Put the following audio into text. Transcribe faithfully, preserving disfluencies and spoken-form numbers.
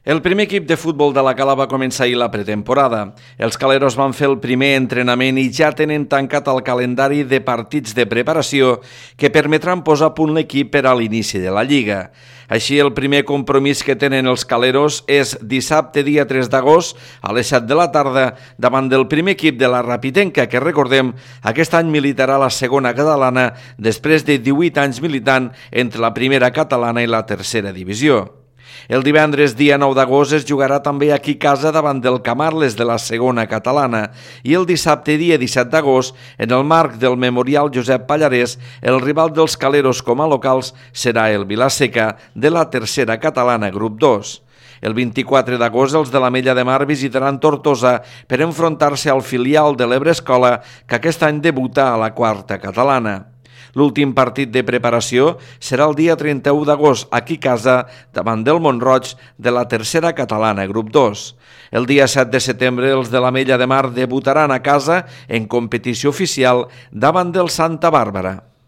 El primer equip de futbol de la Cala va començar ahir la pretemporada. Els caleros van fer el primer entrenament i ja tenen tancat el calendari de partits de preparació que permetran posar a punt l'equip per a l'inici de la Lliga. Així, el primer compromís que tenen els caleros és dissabte, dia tres d'agost, a les set de la tarda, davant del primer equip de la Rapitenca, que, recordem, aquest any militarà la segona catalana després de divuit anys militant entre la primera catalana i la tercera divisió. El divendres, dia nou d'agost, es jugarà també aquí a casa davant del Camarles de la segona catalana i el dissabte, dia disset d'agost, en el marc del Memorial Josep Pallarès, el rival dels caleros com a locals serà el Vilaseca de la tercera catalana, grup dos. El vint-i-quatre d'agost, els de l'Ametlla de Mar visitaran Tortosa per enfrontar-se al filial de l'Ebre Escola, que aquest any debuta a la quarta catalana. L'últim partit de preparació serà el dia trenta-u d'agost, aquí a casa, davant del Mont-roig de la tercera catalana, grup dos. El dia set de setembre, els de l'Ametlla de Mar debutaran a casa en competició oficial davant del Santa Bàrbara.